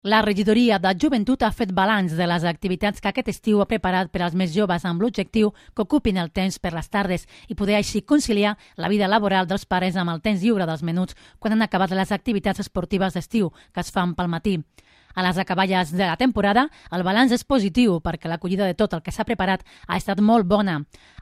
La regidoria de Joventut ha fet balanç de les activitats que aquest estiu ha preparat per als més joves amb l'objectiu que ocupin el temps per les tardes i poder així conciliar la vida laboral dels pares amb el temps lliure dels menuts quan han acabat les activitats esportives d'estiu que es fan pel matí. A les acaballes de la temporada, el balanç és positiu perquè l'acollida de tot el que s'ha preparat ha estat molt bona.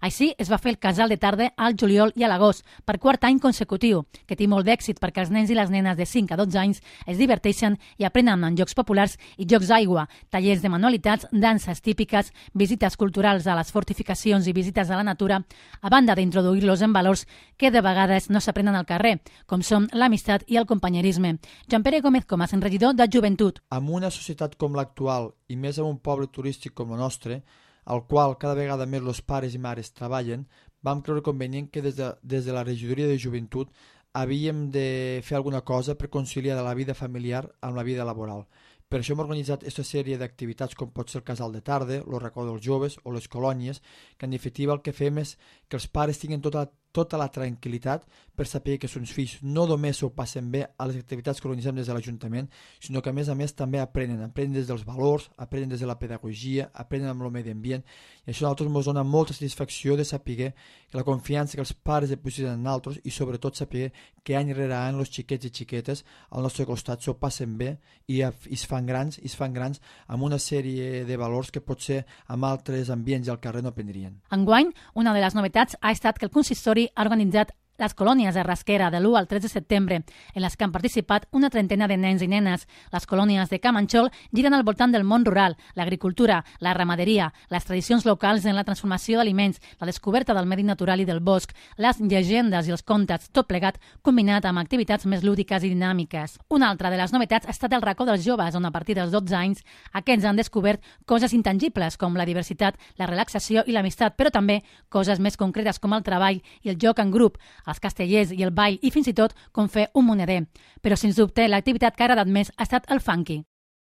Així es va fer el casal de tarda al juliol i a l'agost, per quart any consecutiu, que té molt d'èxit perquè els nens i les nenes de 5 a 12 anys es diverteixen i aprenen en jocs populars i jocs d'aigua, tallers de manualitats, danses típiques, visites culturals a les fortificacions i visites a la natura, a banda d'introduir-los en valors que de vegades no s'aprenen al carrer, com són l'amistat i el companyerisme. Joan-Pere Gómez Comas, regidor de Joventut. En una societat com l'actual i més en un poble turístic com el nostre, al qual cada vegada més els pares i mares treballen, vam creure convenient que des de la regidoria de Joventut havíem de fer alguna cosa per conciliar la vida familiar amb la vida laboral. Per això hem organitzat aquesta sèrie d'activitats com pot ser el casal de tarda, el racó dels joves o les colònies, que en definitiva el que fem és que els pares tinguin tota la tranquil·litat per saber que els seus fills no només s'ho passen bé a les activitats que organitzem des de l'Ajuntament, sinó que a més també aprenen des dels valors, aprenen des de la pedagogia, aprenen amb el medi ambient, i això a nosaltres ens dona molta satisfacció de saber que la confiança que els pares depositen en nosaltres i sobretot saber que any rere any els xiquets i xiquetes al nostre costat s'ho passen bé i es fan grans amb una sèrie de valors que potser en altres ambients i al carrer no aprendrien. Enguany, una de les novetats ha estat que el consistori ha organitzat les colònies de Rasquera de l'1 al 3 de setembre, en les que han participat una trentena de nens i nenes. Les colònies de Camanxol giren al voltant del món rural, l'agricultura, la ramaderia, les tradicions locals en la transformació d'aliments, la descoberta del medi natural i del bosc, les llegendes i els contes, tot plegat combinat amb activitats més lúdiques i dinàmiques. Una altra de les novetats ha estat el racó dels joves, on a partir dels 12 anys aquests han descobert coses intangibles com la diversitat, la relaxació i l'amistat, però també coses més concretes com el treball i el joc en grup, els castellers i el ball i fins i tot com fer un moneder. Però, sens dubte, l'activitat que ha agradat més ha estat el funky.